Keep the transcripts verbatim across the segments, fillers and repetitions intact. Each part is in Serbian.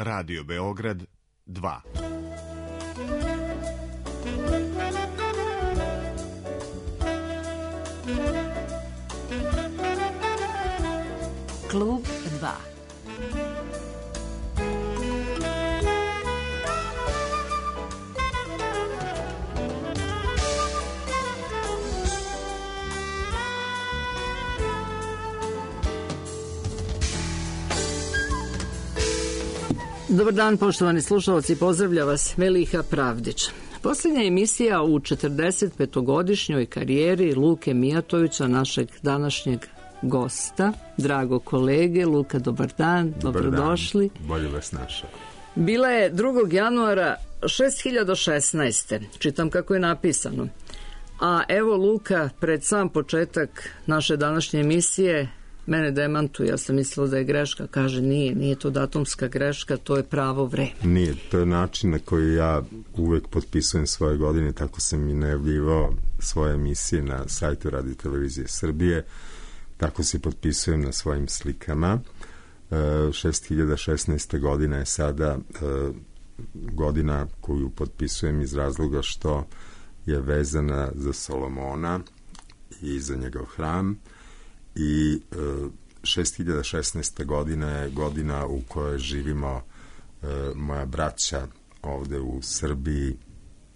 Radio Beograd dva. Klub dva. Dobar dan, poštovani slušalci, pozdravlja vas Meliha Pravdić. Posljednja emisija u četrdeset petogodišnjoj karijeri Luke Mijatovića, našeg današnjeg gosta, drago kolege. Luka, dobar dan, dobar dobrodošli. Dan. Bolje vas našao. Bila je drugog januara šest hiljada šesnaeste. Čitam kako je napisano. A evo Luka, pred sam početak naše današnje emisije, mene demantuje, ja sam mislila da je greška, kaže nije, nije to datumska greška, to je pravo vreme. Nije, to je način na koji ja uvek potpisujem svoje godine, tako sam i najavljivao svoje emisije na sajtu Radio Televizije Srbije, tako se potpisujem na svojim slikama. šest hiljada šesnaesta godina je sada godina koju potpisujem iz razloga što je vezana za Solomona i za njegov hram. I šest hiljada šesnaesta godina je godina u kojoj živimo e, moja braća ovde u Srbiji,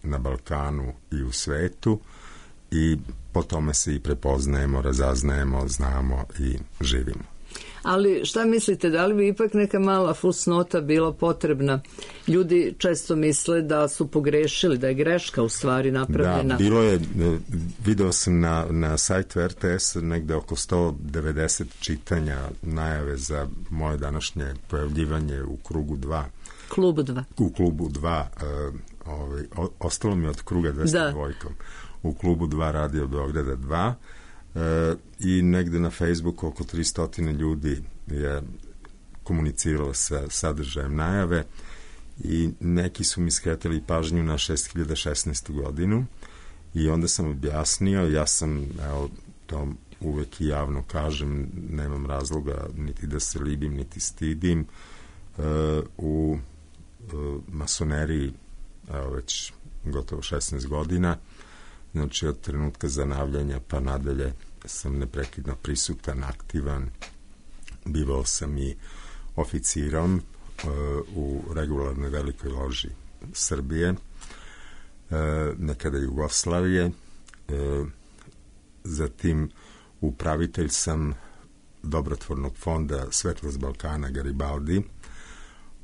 na Balkanu i u svetu, i po tome se i prepoznajemo, razaznajemo, znamo i živimo. Ali šta mislite, da li bi ipak neka mala fusnota bila potrebna? Ljudi često misle da su pogrešili, da je greška u stvari napravljena. Da, bilo je, video sam na, na sajtu R T S negde oko sto devedeset čitanja najave za moje današnje pojavljivanje u krugu dva. Klubu dva. U klubu dva, uh, ovaj, o, ostalo mi od kruga dvesta dva. U klubu dva Radio Beograda dva. E, i negde na Facebooku oko tristo ljudi je komuniciralo sa sadržajem najave i neki su mi skretali pažnju na šest hiljada šesnaestu godinu i onda sam objasnio, ja sam, evo, to uvek i javno kažem, nemam razloga niti da se libim, niti stidim, e, u e, masoneriji, evo, već gotovo šesnaest godina, znači od trenutka zanavljanja pa nadalje sam neprekidno prisutan, aktivan. Bivao sam i oficirom uh, u regularnoj velikoj loži Srbije, uh, nekada Jugoslavije. Uh, zatim upravitelj sam dobrotvornog fonda Svetlost Balkana Garibaldi.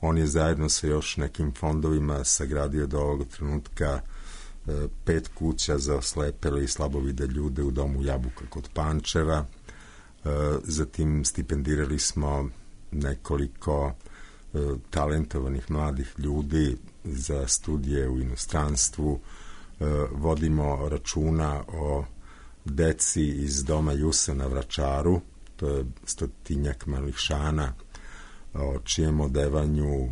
On je zajedno sa još nekim fondovima sagradio do ovog trenutka pet kuća za oslepele i slabovide ljude u domu Jabuka kod Pančeva. Zatim stipendirali smo nekoliko talentovanih mladih ljudi za studije u inostranstvu. Vodimo računa o deci iz doma Jusa na Vračaru, to je stotinjak malih šana, o čijem odevanju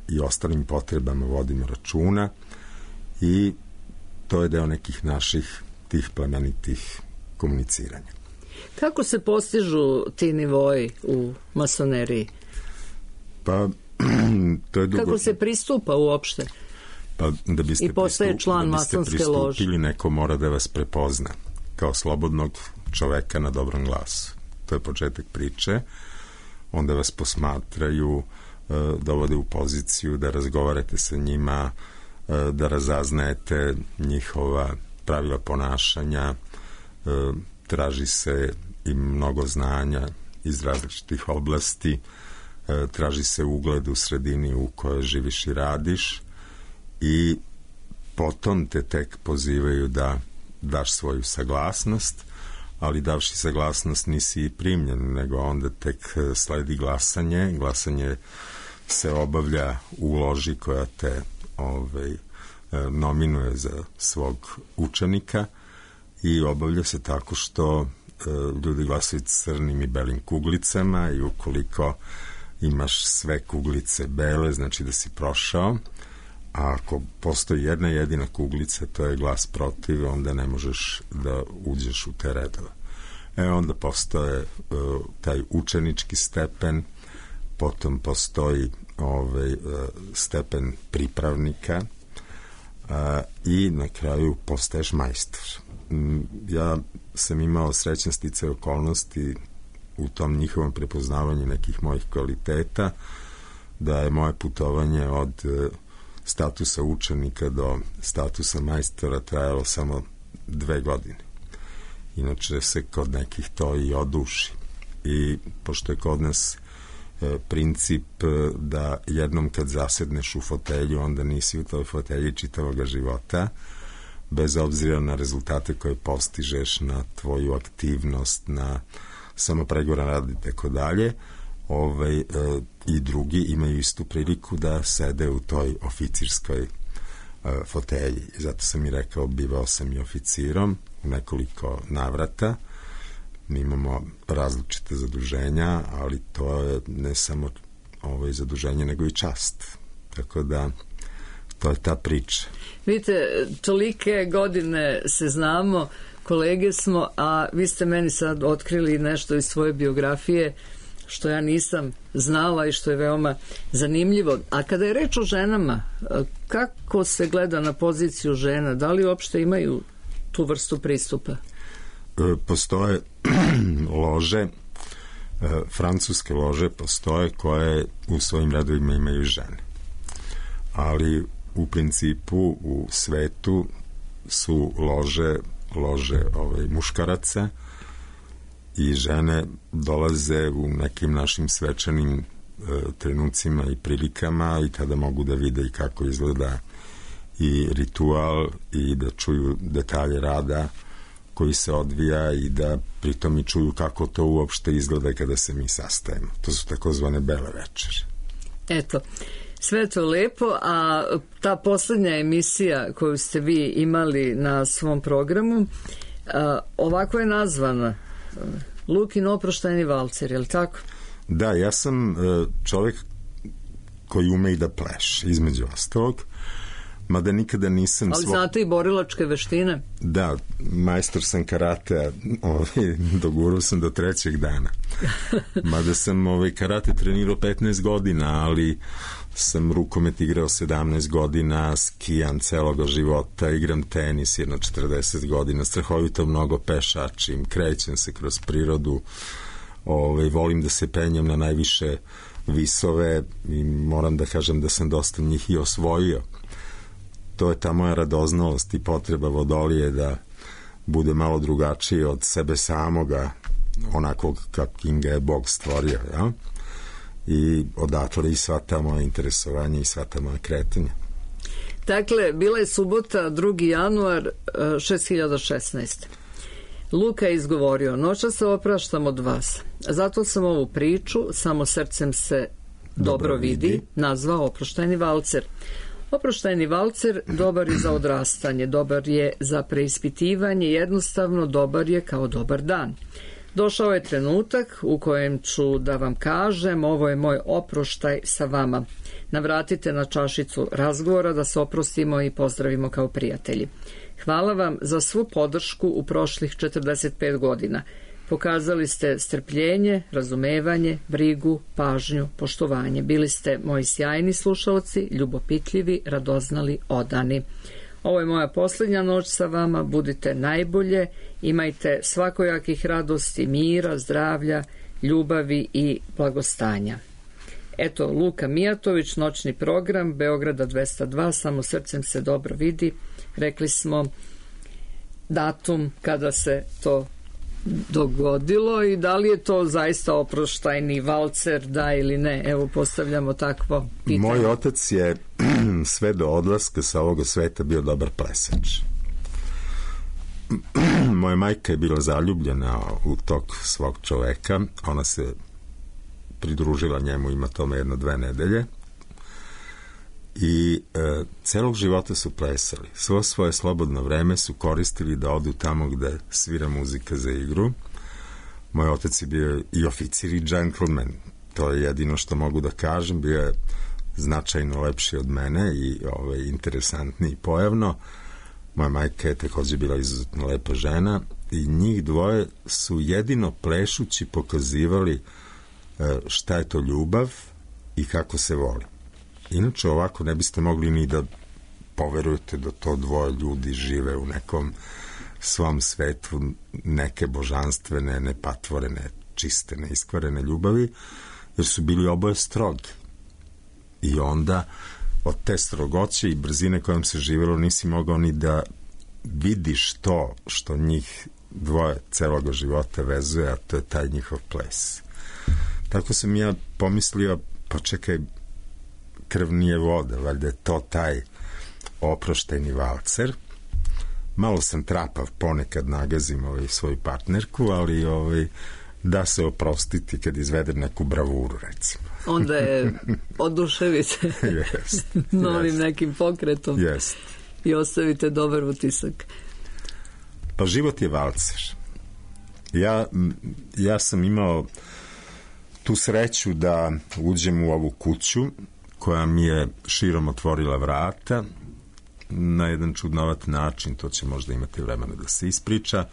i ostalim potrebama vodimo računa. I to je deo nekih naših tih plemenitih komuniciranja. Kako se postižu ti nivoji u masoneriji? Pa, to je dugo... Kako se pristupa uopšte? Pa, da biste I postaje pristup, član da biste masonske lože. pristupili, neko mora da vas prepozna kao slobodnog čoveka na dobrom glasu. To je početak priče. Onda vas posmatraju, dovode u poziciju da razgovarate sa njima, da razaznajete njihova pravila ponašanja, traži se i mnogo znanja iz različitih oblasti, traži se ugled u sredini u kojoj živiš i radiš i potom te tek pozivaju da daš svoju saglasnost, ali davši saglasnost nisi i primljen, nego onda tek sledi glasanje. Glasanje se obavlja u loži koja te ovaj, nominuje za svog učenika i obavlja se tako što e, ljudi glasaju crnim i belim kuglicama i ukoliko imaš sve kuglice bele, znači da si prošao, a ako postoji jedna jedina kuglica, to je glas protiv, onda ne možeš da uđeš u te redove. E onda postoje uh, taj učenički stepen, potom postoji ovaj, stepen pripravnika a, i na kraju postaješ majstor. Ja sam imao srećan sticaj okolnosti u tom njihovom prepoznavanju nekih mojih kvaliteta, da je moje putovanje od statusa učenika do statusa majstora trajalo samo dve godine. Inače se kod nekih to i oduši. I pošto je kod nas e, princip da jednom kad zasedneš u fotelju, onda nisi u toj fotelji čitavoga života, bez obzira na rezultate koje postižeš, na tvoju aktivnost, na samopregoran rad i tako dalje, ovaj, e, i drugi imaju istu priliku da sede u toj oficirskoj e, fotelji. I zato sam i rekao, bivao sam i oficirom u nekoliko navrata. Mi imamo različite zaduženja, ali to je ne samo ovaj, zaduženje, nego i čast. Tako da, to je ta priča. Vidite, tolike godine se znamo, kolege smo, a vi ste meni sad otkrili nešto iz svoje biografije što ja nisam znala i što je veoma zanimljivo. A kada je reč o ženama, kako se gleda na poziciju žena? Da li uopšte imaju tu vrstu pristupa? Postoje lože, francuske lože postoje koje u svojim redovima imaju žene. Ali u principu u svetu su lože lože ovaj, muškaraca i žene dolaze u nekim našim svečanim e, trenucima i prilikama i tada mogu da vide i kako izgleda i ritual i da čuju detalje rada koji se odvija i da pritom i čuju kako to uopšte izgleda kada se mi sastajemo. To su takozvane bele večere. Eto, sve to lepo, a ta poslednja emisija koju ste vi imali na svom programu, a, ovako je nazvana Lukin oproštajni valcer, je li tako? Da, ja sam čovjek koji ume i da pleše, između ostalog, mada nikada nisam... Ali svo... znate i borilačke veštine? Da, majstor sam karate, ovaj, dogurao sam do trećeg dana. Mada sam ovaj, karate trenirao petnaest godina, ali sam rukomet igrao sedamnaest godina, skijam celoga života, igram tenis jedno četrdeset godina, strahovito mnogo pešačim, krećem se kroz prirodu, ovaj, volim da se penjem na najviše visove i moram da kažem da sam dosta njih i osvojio. To je ta moja radoznalost i potreba vodolije da bude malo drugačiji od sebe samoga, onakvog kakvim ga je Bog stvorio, ja? I odatle i sva ta moja interesovanja i sva ta moja kretanja. Dakle, bila je subota drugi januar šest hiljada šesnaeste. Luka je izgovorio: noća se opraštam od vas, zato sam ovu priču Samo srcem se dobro, dobro vidi, vidi nazvao oproštajni valcer. Oproštajni valcer dobar je za odrastanje, dobar je za preispitivanje, jednostavno dobar je kao dobar dan. Došao je trenutak u kojem ću da vam kažem: ovo je moj oproštaj sa vama. Navratite na čašicu razgovora da se oprostimo i pozdravimo kao prijatelji. Hvala vam za svu podršku u prošlih četrdeset pet godina. Pokazali ste strpljenje, razumevanje, brigu, pažnju, poštovanje. Bili ste moji sjajni slušalci, ljubopitljivi, radoznali, odani. Ovo je moja posljednja noć sa vama, budite najbolje, imajte svakojakih radosti, mira, zdravlja, ljubavi i blagostanja. Eto, Luka Mijatović, noćni program, Beograda dvesta dva, Samo srcem se dobro vidi. Rekli smo datum kada se to dogodilo i da li je to zaista oproštajni valcer, da ili ne? Evo, postavljamo takvo pitanje. Moj otac je sve do odlaska sa ovoga sveta bio dobar plesač. Moja majka je bila zaljubljena u tog svog čoveka. Ona se pridružila njemu, ima tome jedno dve nedelje. I e, celog života su plesali. Svo svoje slobodno vreme su koristili da odu tamo gde svira muzika za igru. Moj otac je bio i oficir i džentlmen. To je jedino što mogu da kažem. Bio je značajno lepši od mene i ovaj, interesantniji pojavno. Moja majka je takođe bila izuzetno lepa žena i njih dvoje su jedino plešući pokazivali e, šta je to ljubav i kako se voli. Inače ovako ne biste mogli ni da poverujete da to dvoje ljudi žive u nekom svom svetu neke božanstvene, nepatvorene, čiste, neiskvarene ljubavi, jer su bili oboje strogi. I onda od te strogoće i brzine kojom se živelo nisi mogao ni da vidiš to što njih dvoje celoga života vezuje, a to je taj njihov ples. Tako sam ja pomislio, pa čekaj, krv nije voda, valjda je to taj oproštajni valcer. Malo sam trapav, ponekad nagazim ovaj svoju partnerku, ali ovaj, da se oprostiti kad izvede neku bravuru, recimo. Onda je oduševite yes, novim yes. nekim pokretom yes. i ostavite dobar utisak. Pa život je valcer. Ja, ja sam imao tu sreću da uđem u ovu kuću koja mi je širom otvorila vrata na jedan čudnovat način, to će možda imati vremena da se ispriča,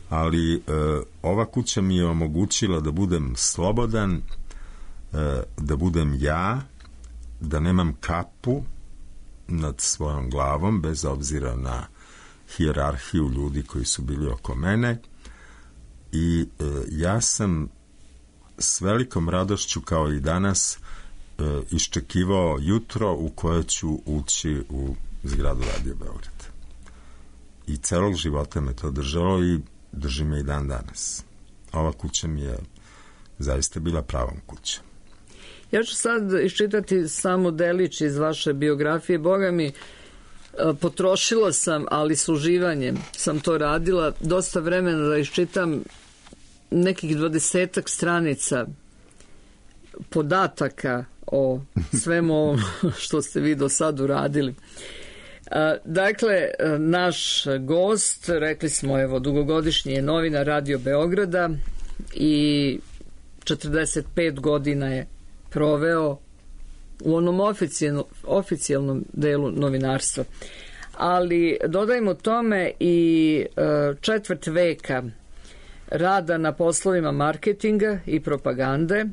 ali e, ova kuća mi je omogućila da budem slobodan, e, da budem ja, da nemam kapu nad svojom glavom, bez obzira na hijerarhiju ljudi koji su bili oko mene, i e, ja sam s velikom radošću kao i danas e, iščekivao jutro u koje ću ući u zgradu Radio Beograd. I celog života me to držalo i drži me i dan danas. Ova kuća mi je zaista bila pravom kuća. Ja ću sad iščitati samo delić iz vaše biografije. Boga mi, potrošila sam, ali s uživanjem sam to radila, dosta vremena da iščitam nekih dvadesetak stranica podataka o svemu ovom što ste vi do sad uradili. Dakle, naš gost, rekli smo, evo, dugogodišnji je novinar Radio Beograda i četrdeset pet godina je proveo u onom oficijalno, oficijalnom delu novinarstva. Ali dodajmo tome i četvrt veka rada na poslovima marketinga i propagande,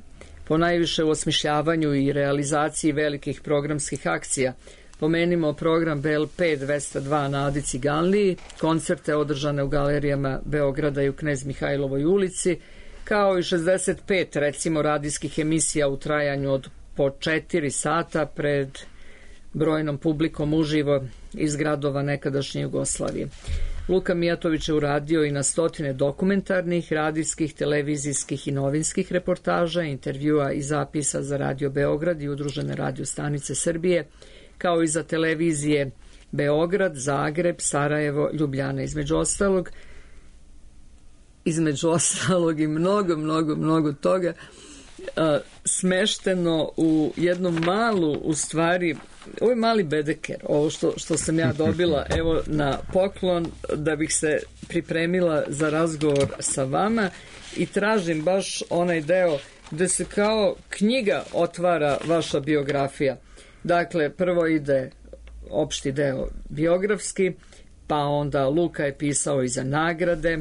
ponajviše u osmišljavanju i realizaciji velikih programskih akcija. Pomenimo program B L P dvesta dva na Adi Ciganliji, koncerte održane u galerijama Beograda i u Knez Mihajlovoj ulici, kao i šezdeset pet, recimo, radijskih emisija u trajanju od po četiri sata pred brojnom publikom uživo iz gradova nekadašnje Jugoslavije. Luka Mijatović je uradio i na stotine dokumentarnih, radijskih, televizijskih i novinskih reportaža, intervjua i zapisa za Radio Beograd i udružene radio stanice Srbije, kao i za televizije Beograd, Zagreb, Sarajevo, Ljubljana, između ostalog, između ostalog i mnogo, mnogo, mnogo toga a, smešteno u jednu malu, u stvari, ovo je mali bedeker, ovo što, što sam ja dobila, evo, na poklon, da bih se pripremila za razgovor sa vama, i tražim baš onaj deo gde se kao knjiga otvara vaša biografija. Dakle, prvo ide opšti deo biografski, pa onda Luka je pisao i za nagrade,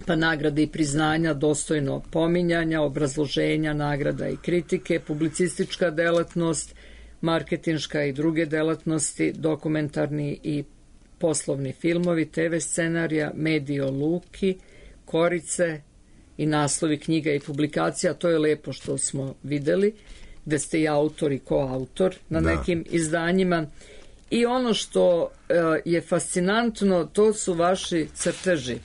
pa nagrade i priznanja, dostojno pominjanja, obrazloženja, nagrada i kritike, publicistička delatnost, marketinška i druge delatnosti, dokumentarni i poslovni filmovi, te ve scenarija, mediji o Luki, Korice i naslovi knjiga i publikacija. To je lepo što smo videli, gde ste i autor i koautor na da. nekim izdanjima. I ono što je fascinantno, to su vaši crteži.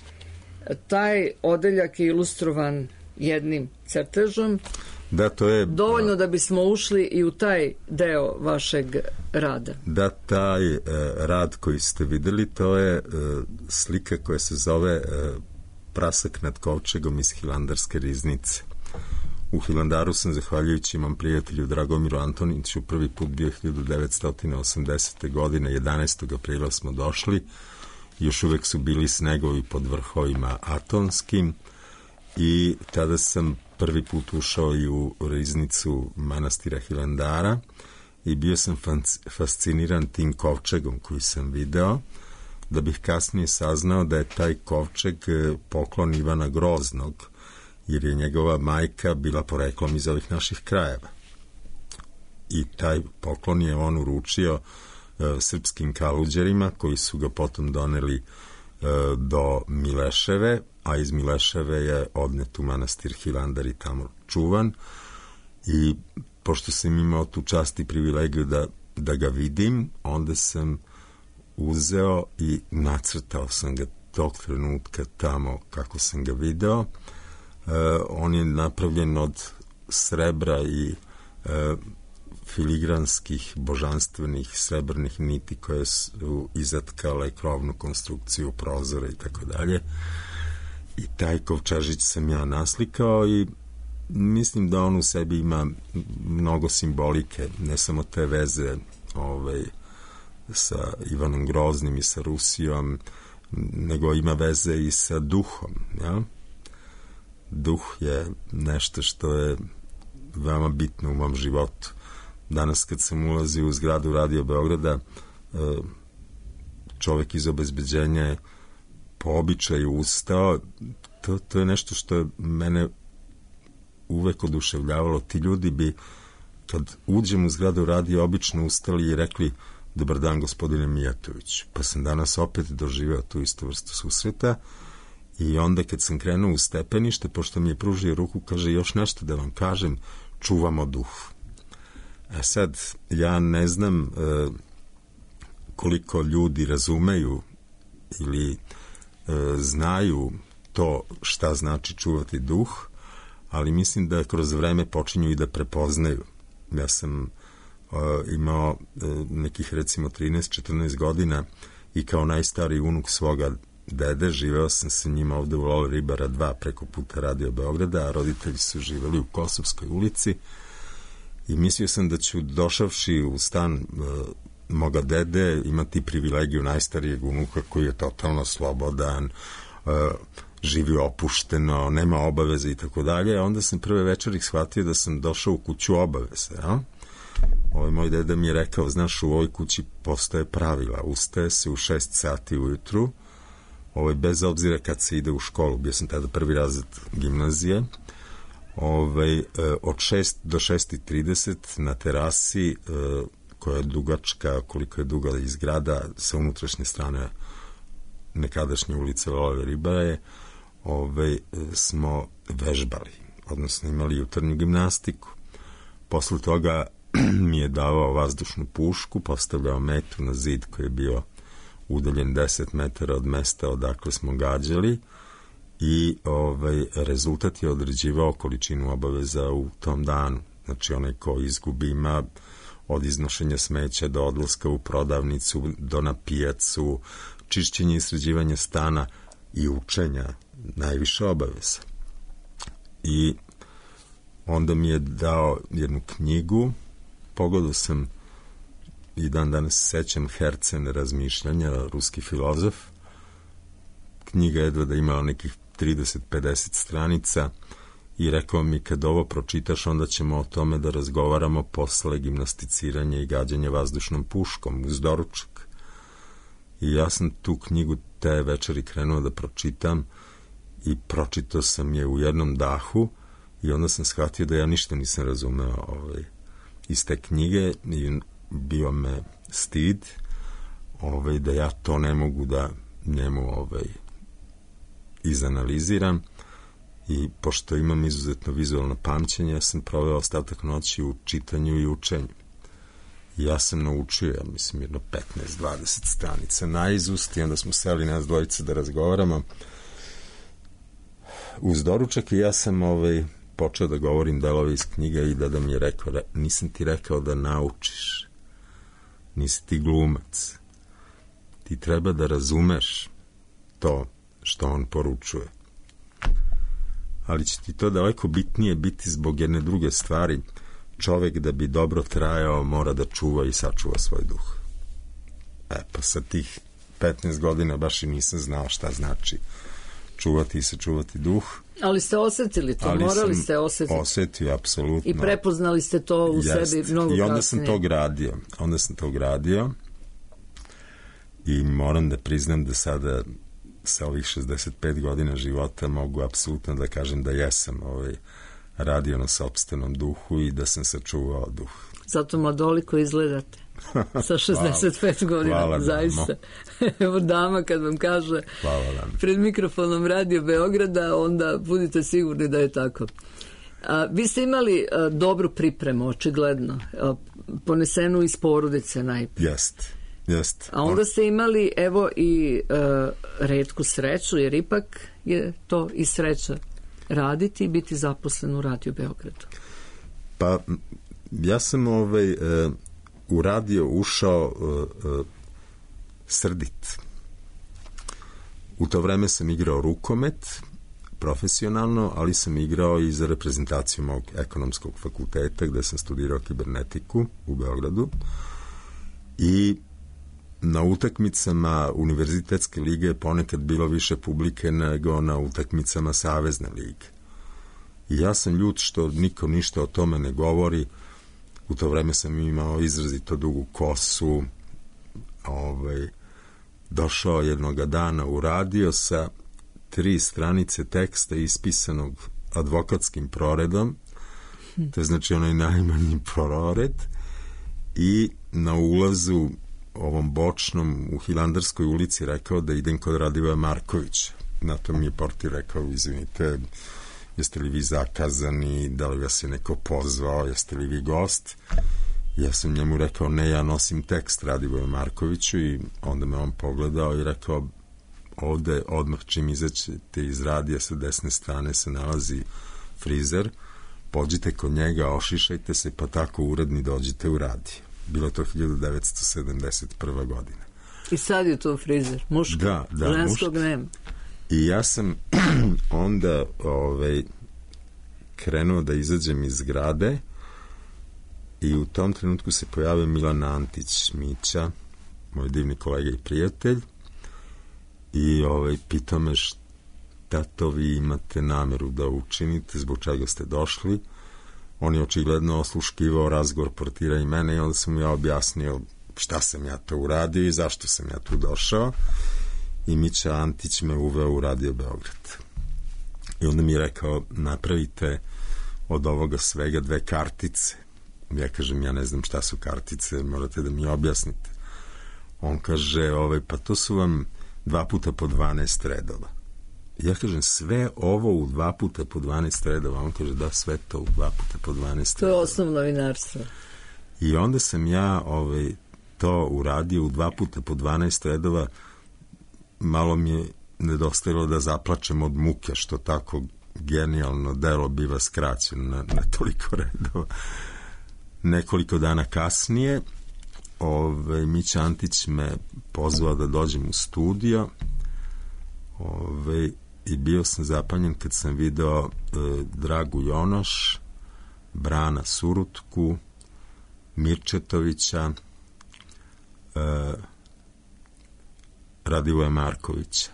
Taj odeljak je ilustrovan jednim crtežom. Da, to je dovoljno da bismo ušli i u taj deo vašeg rada. Da, taj e, rad koji ste videli, to je e, slika koja se zove e, Prasak nad kovčegom iz Hilandarske riznice. U Hilandaru sam, zahvaljujući imam prijatelju Dragomiru Antoniću, prvi put bio hiljadu devetsto osamdesete. godine, jedanaestog aprila smo došli, još uvek su bili snegovi pod vrhovima Atonskim, i tada sam prvi put ušao i u riznicu manastira Hilandara i bio sam fasciniran tim kovčegom koji sam video, da bih kasnije saznao da je taj kovčeg poklon Ivana Groznog, jer je njegova majka bila poreklom iz ovih naših krajeva. i taj poklon je on uručio e, srpskim kaluđerima koji su ga potom doneli e, do Mileševe, a iz Mileševe je odnet u manastir Hilandar i tamo čuvan. I pošto sam imao tu čast i privilegiju da, da ga vidim, onda sam uzeo i nacrtao sam ga tog trenutka tamo kako sam ga video. E, on je napravljen od srebra i e, filigranskih, božanstvenih srebrnih niti koje su izatkale krovnu konstrukciju prozora i tako dalje. I taj kovčežić sam ja naslikao i mislim da on u sebi ima mnogo simbolike, ne samo te veze ovaj, sa Ivanom Groznim i sa Rusijom, nego ima veze i sa duhom. Ja? Duh je nešto što je veoma bitno u mom životu. Danas kad sam ulazio u zgradu Radio Beograda, čovek iz obezbeđenja je po običaju ustao. To, to je nešto što je mene uvek oduševljavalo. Ti ljudi bi, kad uđem u zgradu Radio, obično ustali i rekli: dobar dan, gospodine Mijatović. Pa sam danas opet doživeo tu istu vrstu susreta i onda kad sam krenuo u stepenište, pošto mi je pružio ruku, kaže: još nešto da vam kažem, čuvamo duh. A sad, ja ne znam e, koliko ljudi razumeju ili e, znaju to šta znači čuvati duh, ali mislim da kroz vreme počinju i da prepoznaju. Ja sam uh, imao uh, nekih recimo trinaest četrnaest godina i kao najstariji unuk svoga dede živeo sam sa njima ovde u Lole Ribara dva preko puta Radio Beograda, a roditelji su živeli u Kosovskoj ulici i mislio sam da ću, došavši u stan uh, moga dede, imati privilegiju najstarijeg unuka koji je totalno slobodan, uh, živi opušteno, nema obaveze i tako dalje. Onda sam prve večeri shvatio da sam došao u kuću obaveze. Ja? Ovaj moj deda mi je rekao: znaš, u ovoj kući postoje pravila. Ustaje se u šest sati ujutru, ovaj, bez obzira kad se ide u školu. Bio sam tada prvi razred gimnazije. Ovaj, od šest do šest i trideset na terasi, koja je dugačka, koliko je duga i zgrada, sa unutrašnje strane nekadašnje ulice Lole Ribara je, Ove, smo vežbali, odnosno imali jutarnju gimnastiku. Posle toga mi je davao vazdušnu pušku, postavljao metu na zid koji je bio udaljen deset metara od mesta odakle smo gađali i ovaj, rezultat je određivao količinu obaveza u tom danu. Znači, onaj ko izgubi ima od iznošenja smeća do odlaska u prodavnicu, do na pijacu, čišćenje i sređivanje stana i učenja, najviše obaveza. I onda mi je dao jednu knjigu, pogledao sam i dan danas sećam Hercen razmišljanja, ruski filozof. Knjiga jedva da imala nekih trideset pedeset stranica i rekao mi: kad ovo pročitaš, onda ćemo o tome da razgovaramo posle gimnasticiranja i gađanja vazdušnom puškom uz doručak. I ja sam tu knjigu te večeri krenuo da pročitam i pročitao sam je u jednom dahu i onda sam shvatio da ja ništa nisam razumeo ovaj, iz te knjige i bio me stid ovaj, da ja to ne mogu da njemu ovaj, izanaliziram. I pošto imam izuzetno vizualno pamćenje, ja sam proveo ostatak noći u čitanju i učenju. I ja sam naučio, ja mislim, jedno petnaest dvadeset stranica naizust i onda smo seli nas dvojice da razgovaramo uz doručak i ja sam ovaj, počeo da govorim delove iz knjiga i da da mi je rekao: nisam ti rekao da naučiš, nisi ti glumac, ti treba da razumeš to što on poručuje. Ali će ti to daleko bitnije biti zbog jedne druge stvari. Čovek da bi dobro trajao mora da čuva i sačuva svoj duh. E, pa sa tih petnaest godina baš i nisam znao šta znači čuvati i sačuvati duh. Ali ste osetili to, ali morali ste osetiti. Osetio, apsolutno. I prepoznali ste to u Jest. sebi mnogo kasnije. I onda sam to gradio. Onda sam to gradio i moram da priznam da sada sa ovih šezdeset pet godina života mogu apsolutno da kažem da jesam ovaj, radio na sopstvenom duhu i da sam sačuvao duh. Zato mladoliko izgledate. Sa šezdeset pet godina, hvala, zaista. Evo dama kad vam kaže pred mikrofonom Radio Beograda, onda budite sigurni da je tako. A, vi ste imali a, dobru pripremu, očigledno, a, ponesenu iz porodice najprije. Jest, jest. A onda ste imali, evo, i a, retku sreću, jer ipak je to i sreća raditi i biti zaposlen u Radio Beogradu. Pa, ja sam ovaj... E, u radio ušao uh, uh, srdit. U to vreme sam igrao rukomet profesionalno, ali sam igrao i za reprezentaciju mog ekonomskog fakulteta gde sam studirao kibernetiku u Beogradu i na utakmicama univerzitetske lige ponekad bilo više publike nego na utakmicama Savezne lige. I ja sam ljut što niko ništa o tome ne govori. U to vreme sam imao izrazito dugu kosu, ovaj, došao jednoga dana u radio sa tri stranice teksta ispisanog advokatskim proredom, to je znači onaj najmanji prored, i na ulazu ovom bočnom u Hilandarskoj ulici rekao da idem kod Radivoja Markovića. Na to mi je portir rekao, izvinite, jeste li vi zakazani, da li vas je neko pozvao, jeste li vi gost? Ja sam njemu rekao, ne, ja nosim tekst Radivoju Markoviću, i onda me on pogledao i rekao, ovde odmah čim izaćete iz radija sa desne strane se nalazi frizer, pođite kod njega, ošišajte se, pa tako uredni dođite u radio. Bilo to hiljadu devetsto sedamdeset prva godina. I sad je to frizer, muški, da, da, ženskog muški. nema. I ja sam onda ovaj, krenuo da izađem iz zgrade i u tom trenutku se pojavio Milan Antić Mića, moj divni kolega i prijatelj, i ovaj, pitao me šta to vi imate nameru da učinite, zbog čega ste došli. On je očigledno osluškivao razgovor portira i mene, i onda sam mu ja objasnio šta sam ja to uradio i zašto sam ja tu došao. I Mića Antić me uveo u Radio Beograd. I onda mi je rekao, napravite od ovoga svega dve kartice. Ja kažem, ja ne znam šta su kartice, morate da mi objasnite. On kaže, ovaj, pa to su vam dva puta po dvanaest redova. Ja kažem, sve ovo u dva puta po dvanaest redova. On kaže, da, sve to u dva puta po dvanaest redova. To je osnovno novinarstvo. I onda sam ja ovaj, to uradio u dva puta po dvanaest redova. Malo mi je nedostajalo da zaplačem od muke što tako genijalno delo biva skraćeno na, na toliko redova. Nekoliko dana kasnije ovaj, Mića Antić me pozvao da dođem u studio, ovaj, i bio sam zapanjen kad sam video e, Dragu Jonoš, Brana Surutku, Mirčetovića, e, Radivoja Markovića.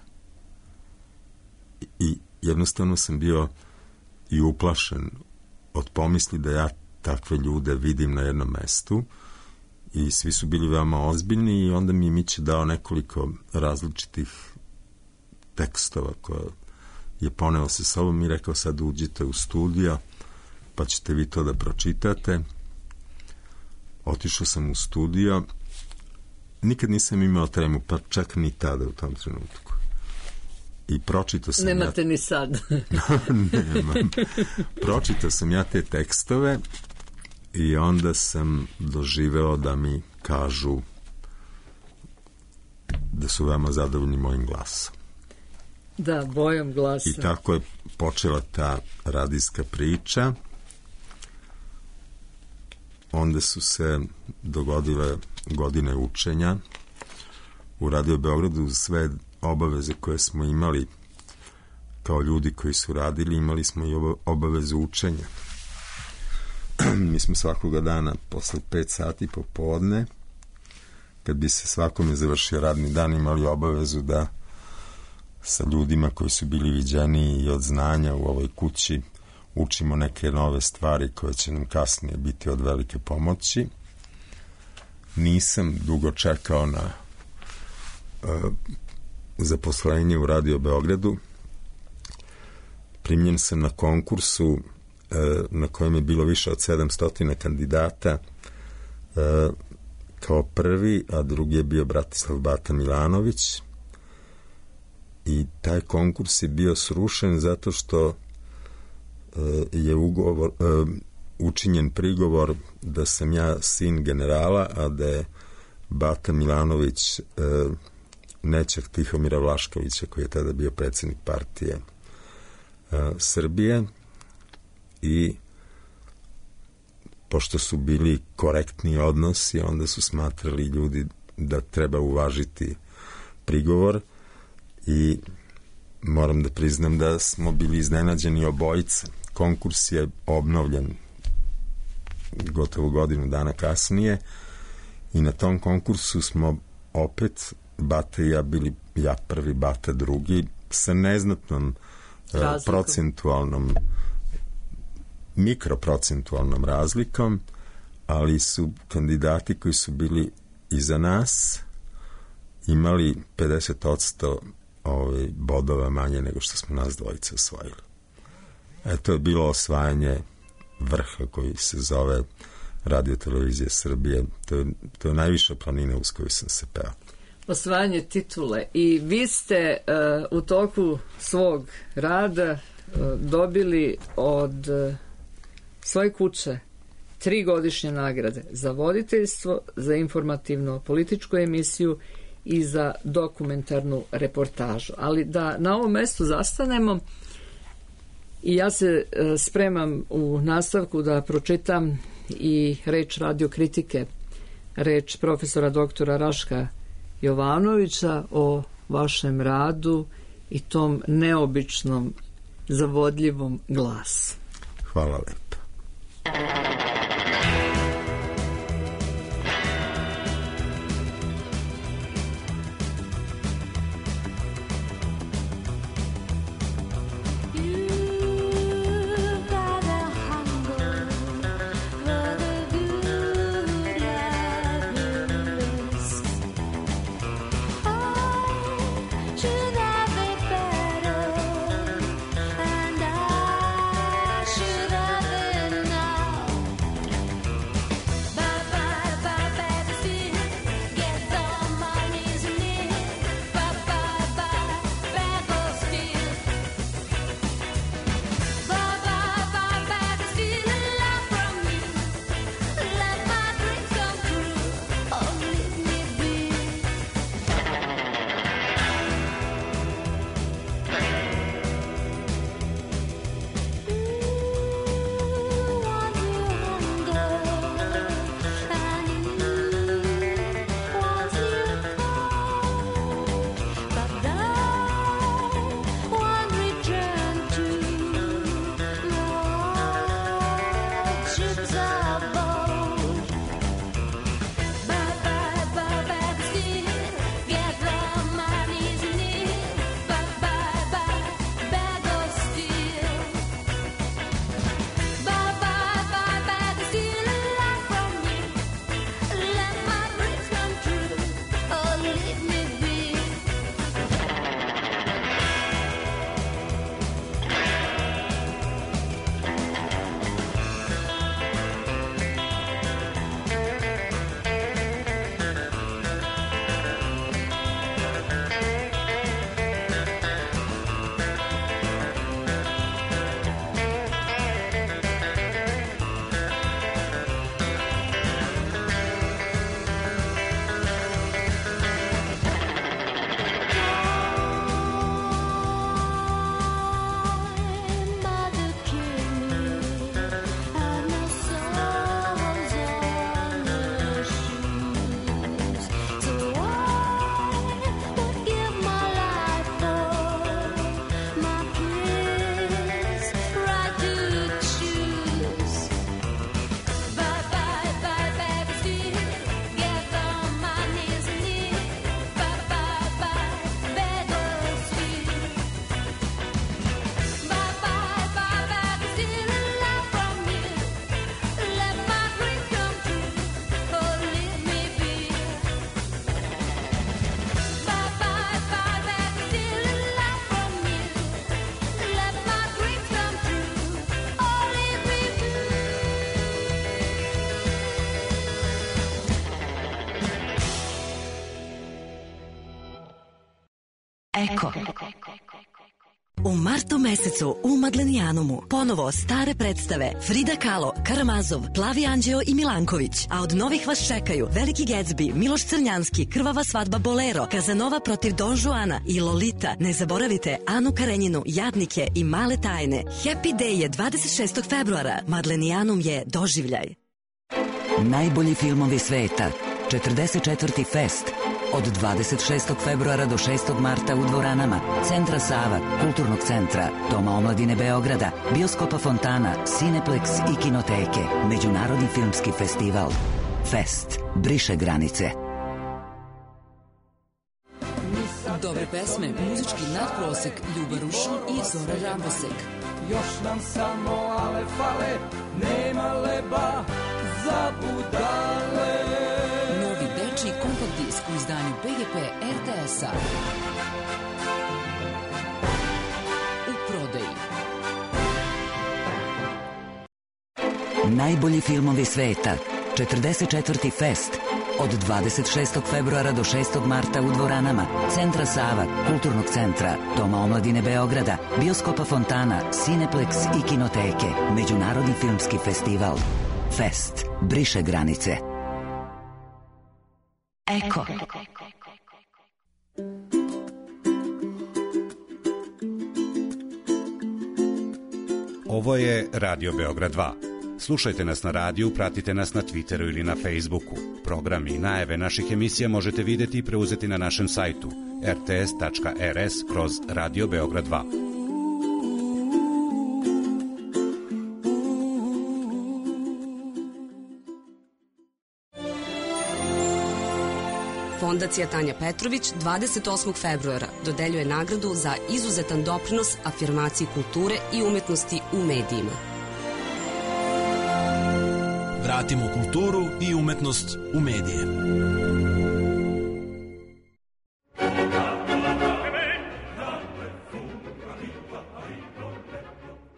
I jednostavno sam bio i uplašen od pomisli da ja takve ljude vidim na jednom mestu, i svi su bili veoma ozbiljni, i onda mi je Miće dao nekoliko različitih tekstova koje je poneo sa sobom i rekao, sad uđite u studio pa ćete vi to da pročitate. Otišao sam u studio, nikad nisam imao tremu, pa čak ni tada u tom trenutku. I pročitao sam... Nemate ja... ni sad. Nemam. Pročitao sam ja te tekstove i onda sam doživeo da mi kažu da su veoma zadovoljni mojim glasom. Da, bojom glasa. I tako je počela ta radijska priča. Onda su se dogodile godine učenja u Radio Beogradu. Sve obaveze koje smo imali kao ljudi koji su radili, imali smo i obavezu učenja. Mi smo svakoga dana posle pet sati popodne, kad bi se svakome završio radni dan, imali obavezu da sa ljudima koji su bili viđeniji i od znanja u ovoj kući učimo neke nove stvari koje će nam kasnije biti od velike pomoći. Nisam dugo čekao na uh, zaposlenje u Radio Beogradu. Primljen sam na konkursu na kojem je bilo više od sedamsto kandidata, kao prvi, a drugi je bio Bratislav Bata Milanović, i taj konkurs je bio srušen zato što je ugovor, učinjen prigovor da sam ja sin generala, a da je Bata Milanović nećak Tihomira Vlaškovića, koji je tada bio predsjednik partije Srbije, i pošto su bili korektni odnosi, onda su smatrali ljudi da treba uvažiti prigovor, i moram da priznam da smo bili iznenađeni obojica. Konkurs je obnovljen gotovo godinu dana kasnije i na tom konkursu smo opet Bata i ja bili, ja prvi, Bata drugi, sa neznatnom razlikom, procentualnom mikroprocentualnom razlikom, ali su kandidati koji su bili iza nas imali pedeset odsto ovaj, bodova manje nego što smo nas dvojice osvojili. Eto je bilo osvajanje vrha koji se zove Radio Televizija Srbije. To je, to je najviša planina uz koju sam se peo. Osvajanje titule. I vi ste uh, u toku svog rada uh, dobili od uh, svoje kuće tri godišnje nagrade za voditeljstvo, za informativno političku emisiju i za dokumentarnu reportažu. Ali da na ovom mestu zastanemo, i ja se spremam u nastavku da pročitam i reč radiokritike, reč profesora doktora Raška Jovanovića o vašem radu i tom neobičnom, zavodljivom glasu. Hvala lepo. Should have Eko. U martu mesecu u Madlenijanumu ponovo stare predstave Frida Kahlo, Karamazov, Plavi Anđeo i Milanković. A od novih vas čekaju Veliki Gatsby, Miloš Crnjanski, Krvava svadba Bolero, Kazanova protiv Don Juana i Lolita. Ne zaboravite Anu Karenjinu, Jadnike i Male tajne. Happy Day je dvadeset šestog februara. Madlenijanum je doživljaj. Najbolji filmovi sveta. četrdeset četvrti Fest. Od dvadeset šestog februara do šestog marta u dvoranama Centra Sava, Kulturnog centra, Doma omladine Beograda, Bioskopa Fontana, Cineplex i Kinoteke. Međunarodni filmski festival. Fest. Briše granice. Dobre pesme, muzički nadprosek, Ljuba Rušin i Zora Rambosek. Još nam samo ale fale, nema leba za budale. Novi dečiji kompakt disk u izdanju P G P R T S-a. U prodaji. Najbolji filmovi sveta. četrdeset četvrti Fest. Od dvadeset šestog februara do šestog marta u dvoranama Centra Sava, Kulturnog centra, Doma omladine Beograda, Bioskopa Fontana, Cineplex i Kinoteke. Međunarodni filmski festival. Fest. Briše granice. Eko. Ovo je Radio Beograd dva. Slušajte nas na radiju, pratite nas na Twitteru ili na Facebooku. Programi i najave naših emisija možete vidjeti i preuzeti na našem sajtu r t s tačka r s kroz Radio Beograd dva. Fondacija Tanja Petrović dvadeset osmog februara dodeljuje nagradu za izuzetan doprinos afirmaciji kulture i umetnosti u medijima. Vratimo kulturu i umetnost u medije.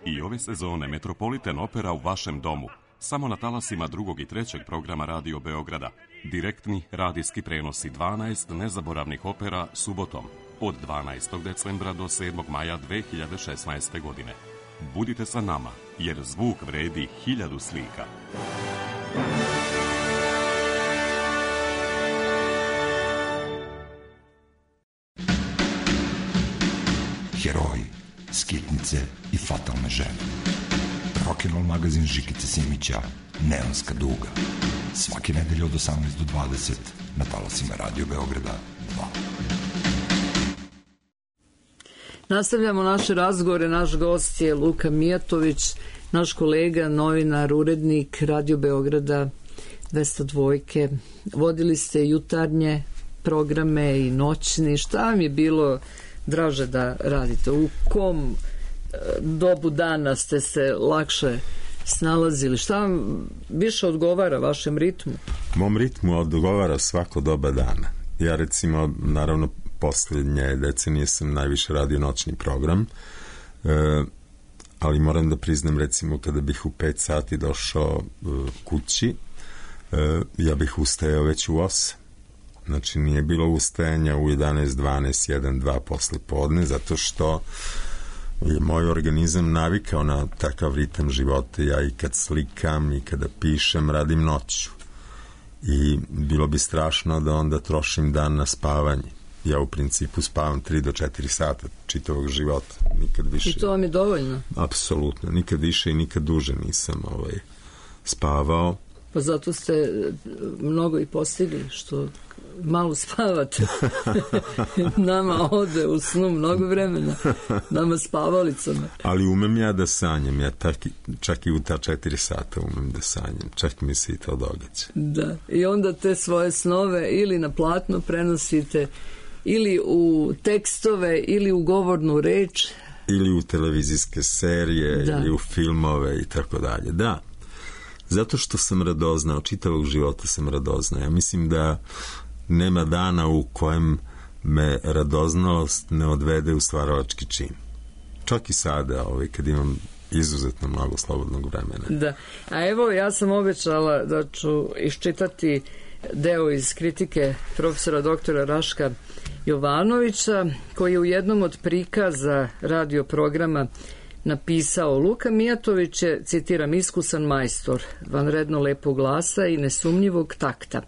I ove sezone Metropolitan Opera u vašem domu. Samo na talasima drugog i trećeg programa Radio Beograda. Direktni radijski prenosi dvanaest nezaboravnih opera subotom od dvanaestog decembra do sedmog maja dve hiljade šesnaeste. godine. Budite sa nama, jer zvuk vredi hiljadu slika. Heroji, skitnice i fatalne žene. Rock'n'roll magazin Žikice Simića, Neonska duga. Svake nedelje od osamnaest do dvadeset na talasima Radio Beograda dva. Nastavljamo naše razgovore. Naš gost je Luka Mijatović, naš kolega, novinar, urednik Radio Beograda dvesta dva. Vodili ste jutarnje programe i noćni. Šta vam je bilo draže da radite? U kom dobu dana ste se lakše snalazili? Šta vam više odgovara vašem ritmu? Mom ritmu odgovara svako doba dana. Ja recimo, naravno, posljednje decenije sam najviše radio noćni program, e, ali moram da priznam, recimo, kada bih u pet sati došao e, kući, e, ja bih ustajao već u osam. Znači, nije bilo ustajanja u jedanaest, dvanaest, jedan, dva posle podne, zato što je moj organizam navikao na takav ritam života. Ja i kad slikam i kada pišem, radim noću. I bilo bi strašno da onda trošim dan na spavanje. Ja u principu spavam tri do četiri sata čitavog života. Nikad više. I to vam je dovoljno? Apsolutno. Nikad više i nikad duže nisam ovaj, spavao. Pa zato ste mnogo i postigli, što malo spavate. Nama ode u snu mnogo vremena. Nama spavalicama. Ali umem ja da sanjam. Ja tak, čak i u ta četiri sata umem da sanjam. Čak mi se i to događa. Da. I onda te svoje snove ili na platno prenosite, ili u tekstove, ili u govornu reč. Ili u televizijske serije, da. Ili u filmove i tako dalje. Da. Zato što sam radoznao, čitavog života sam radoznao. Ja mislim da nema dana u kojem me radoznalost ne odvede u stvaralački čin. Čak i sada, ovaj, kad imam izuzetno mnogo slobodnog vremena. Da, a evo ja sam obećala da ću iščitati deo iz kritike profesora doktora Raška Jovanovića, koji je u jednom od prikaza radio programa napisao: Luka Mijatović je, citiram, iskusan majstor, vanredno lepog glasa i nesumnjivog takta.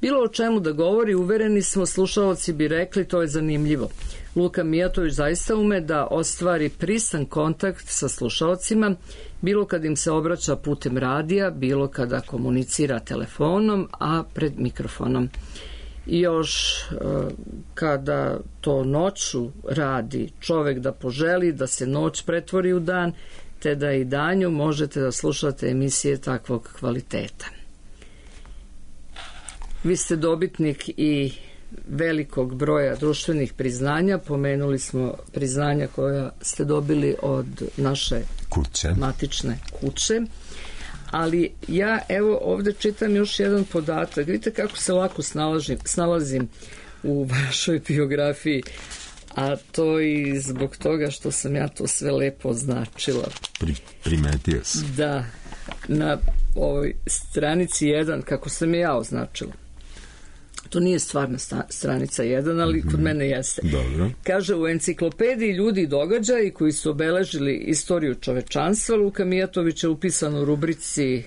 Bilo o čemu da govori, uvereni smo, slušalci bi rekli, to je zanimljivo. Luka Mijatović zaista ume da ostvari prisan kontakt sa slušalcima, bilo kad im se obraća putem radija, bilo kada komunicira telefonom, a pred mikrofonom. I još kada to noću radi čovek da poželi da se noć pretvori u dan, te da i danju možete da slušate emisije takvog kvaliteta. Vi ste dobitnik i velikog broja društvenih priznanja. Pomenuli smo priznanja koja ste dobili od naše kuće, matične kuće. Ali ja evo ovde čitam još jedan podatak. Vidite kako se lako snalazim, snalazim u vašoj biografiji, a to i zbog toga što sam ja to sve lepo označila. Pri, primetio sam. Da, na ovoj stranici jedan, kako sam je ja označila. To nije stvarna stranica jedan, ali kod mene jeste. Dobro. Kaže, u enciklopediji ljudi i događaji koji su obeležili istoriju čovečanstva, Luka Mijatović je upisan u rubrici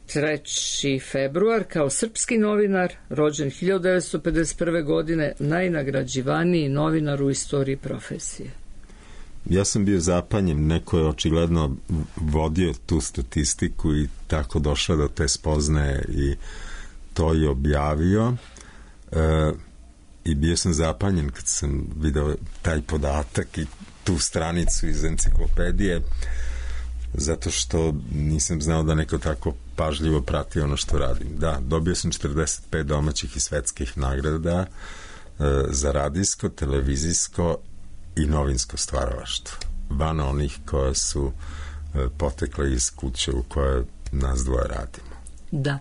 treći februar kao srpski novinar, rođen hiljadu devetsto pedeset prve. godine, najnagrađivaniji novinar u istoriji profesije. Ja sam bio zapanjen, neko je očigledno vodio tu statistiku i tako došao do te spoznaje i to je objavio. E, i bio sam zapanjen kad sam video taj podatak i tu stranicu iz enciklopedije, zato što nisam znao da neko tako pažljivo prati ono što radim. Da, dobio sam četrdeset pet domaćih i svetskih nagrada e, za radijsko, televizijsko i novinsko stvaralaštvo, van onih koje su e, potekle iz kuće u kojoj nas dvoje radimo. Da.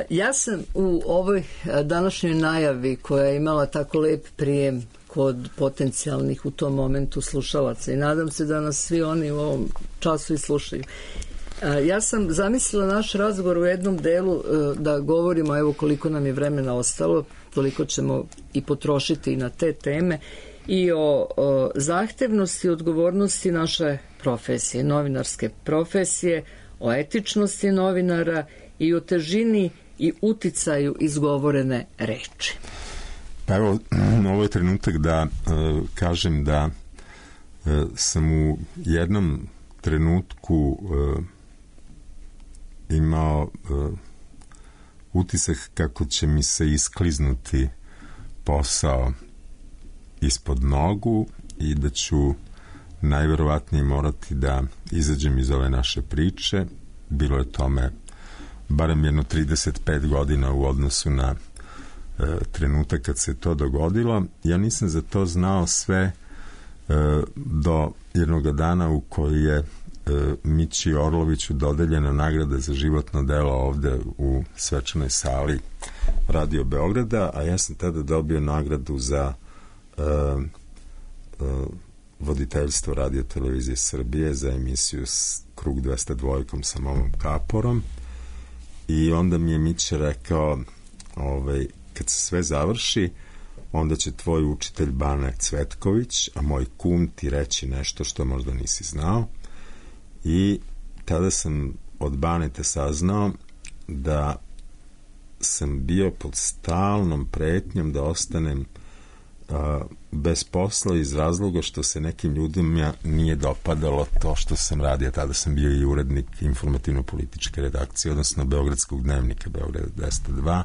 Ja sam u ovoj današnjoj najavi, koja je imala tako lep prijem kod potencijalnih u tom momentu slušalaca, i nadam se da nas svi oni u ovom času i slušaju, ja sam zamislila naš razgovor u jednom delu da govorimo, evo koliko nam je vremena ostalo, toliko ćemo i potrošiti na te teme, i o, o zahtevnosti i odgovornosti naše profesije, novinarske profesije, o etičnosti novinara i o težini i uticaju izgovorene reči. Pa evo, ovo je trenutak da uh, kažem da uh, sam u jednom trenutku uh, imao uh, utisak kako će mi se iskliznuti posao ispod nogu i da ću najverovatnije morati da izađem iz ove naše priče. Bilo je tome barem jedno trideset pet godina u odnosu na e, trenutak kad se to dogodilo. Ja nisam za to znao sve e, do jednog dana u koji je e, Mići Orloviću dodeljena nagrada za životno delo ovde u svečanoj sali Radio Beograda, a ja sam tada dobio nagradu za e, e, voditeljstvo Radio Televizije Srbije za emisiju Krug dvesta dva sa Momom Kaporom. I onda mi je Miće rekao, ovaj, kad se sve završi, onda će tvoj učitelj Bane Cvetković, a moj kum ti reći nešto što možda nisi znao. I tada sam od Banete saznao da sam bio pod stalnom pretnjom da ostanem a, bez posla iz razloga što se nekim ljudima nije dopadalo to što sam radio. Tada sam bio i urednik informativno-političke redakcije, odnosno Beogradskog dnevnika Beograd dvesta dva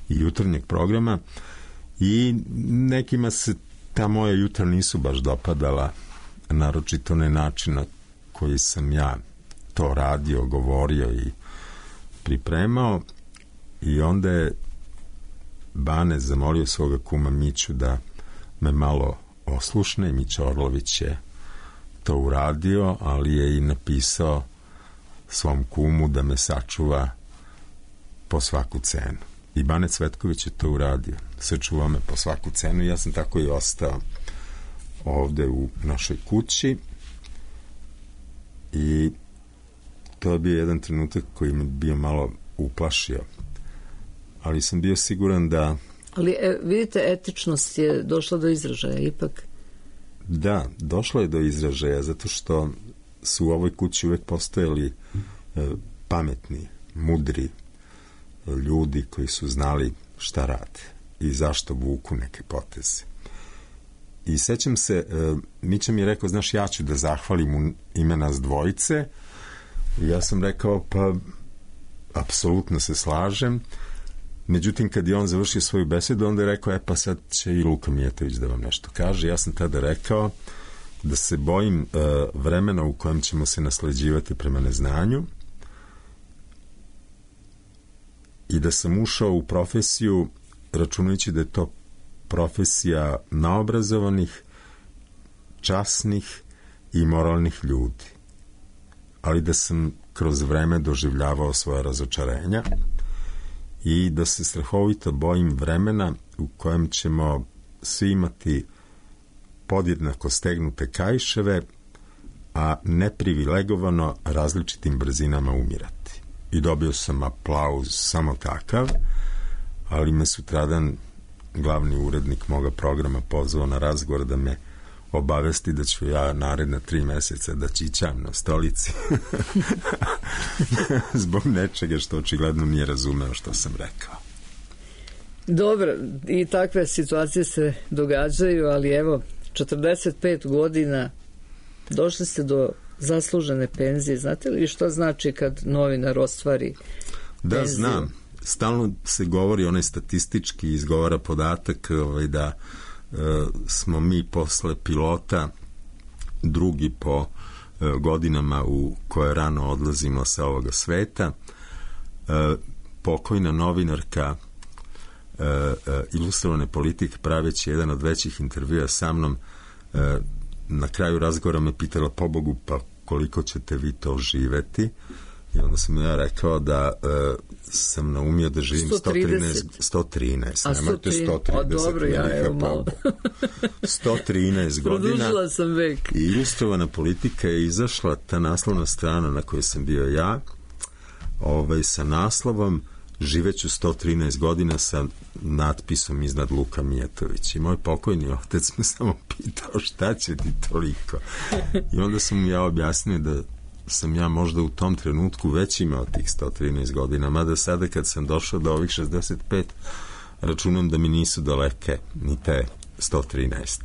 i jutarnjeg programa, i nekima se ta moja jutra nisu baš dopadala, naročito ne način na koji sam ja to radio, govorio i pripremao. I onda je Bane zamolio svoga kuma Miću da me malo oslušne. Mića Orlović je to uradio, ali je i napisao svom kumu da me sačuva po svaku cenu. I Bane Cvetković je to uradio. Sačuvao me po svaku cenu i ja sam tako i ostao ovde u našoj kući. I to je bio jedan trenutak koji me bio malo uplašio. Ali sam bio siguran da... Ali e, vidite, etičnost je došla do izražaja ipak. Da, došlo je do izražaja zato što su u ovoj kući uvek postojali e, pametni, mudri e, ljudi koji su znali šta rade i zašto vuku neke poteze. I sećam se, e, Mića mi je rekao, znaš, ja ću da zahvalim u ime nas dvojice. I ja sam rekao, pa apsolutno se slažem. Međutim, kad je on završio svoju besedu, onda je rekao, e pa sad će i Luka Mijatović da vam nešto kaže. Ja sam tada rekao da se bojim uh, vremena u kojem ćemo se nasleđivati prema neznanju i da sam ušao u profesiju računajući da je to profesija naobrazovanih, časnih i moralnih ljudi. Ali da sam kroz vreme doživljavao svoje razočarenja i da se strahovito bojim vremena u kojem ćemo svi imati podjednako stegnute kaiševe, a neprivilegovano različitim brzinama umirati. I dobio sam aplauz samo takav, ali me sutradan glavni urednik moga programa pozvao na razgovor da me obavesti da ću ja naredna tri meseca da čičam na stolici zbog nečega što očigledno nije razumeo što sam rekao. Dobro, i takve situacije se događaju, ali evo, četrdeset pet godina došli ste do zaslužene penzije. Znate li što znači kad novinar ostvari da, penziju? Znam. Stalno se govori, onaj statistički izgovara podatak ovaj, da e, smo mi posle pilota drugi po e, godinama u koje rano odlazimo sa ovoga sveta. E, pokojna novinarka e, e, Ilustrovane politike, praveći jedan od većih intervjua sa mnom, e, na kraju razgovora me pitala, pobogu, pa koliko ćete vi to živeti? I onda sam ja rekao da uh, sam naumio da živim sto trinaest. sto trinaest. A sto trinaest. A dobro, ja evo malo. sto trinaest godina. Produžila sam vek. I Ilustrovana politika je izašla, ta naslovna strana na kojoj sam bio ja, ovaj, sa naslovom živeću sto trinaest godina sa natpisom iznad Luka Mijatović. I moj pokojni otec me samo pitao šta će ti toliko. I onda sam mu ja objasnio da sam ja možda u tom trenutku već imao tih sto trinaest godina, mada sada kad sam došao do ovih šezdeset pet računam da mi nisu daleke ni te sto trinaest.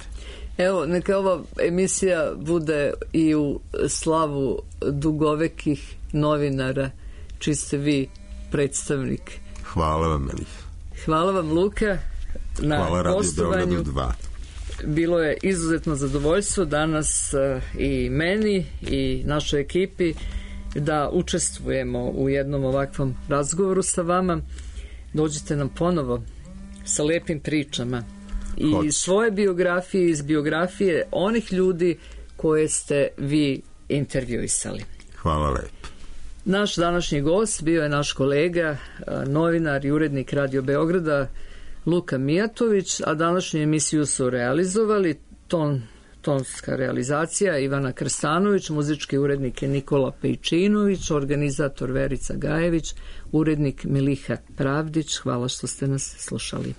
Evo, neka ova emisija bude i u slavu dugovekih novinara, čiji ste vi predstavnik. Hvala vam, Elif. Hvala vam, Luka, na Hvala Radio gostovanju. dva. Bilo je izuzetno zadovoljstvo danas uh, i meni i našoj ekipi da učestvujemo u jednom ovakvom razgovoru sa vama. Dođite nam ponovo sa lepim pričama i Hoć. svoje biografije, iz biografije onih ljudi koje ste vi intervjuisali. Hvala lepo. Naš današnji gost bio je naš kolega, novinar i urednik Radio Beograda, Luka Mijatović, a današnju emisiju su realizovali ton, tonska realizacija Ivana Krstanović, muzički urednik je Nikola Pejčinović, organizator Verica Gajević, urednik Miliha Pravdić. Hvala što ste nas slušali.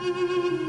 Thank you.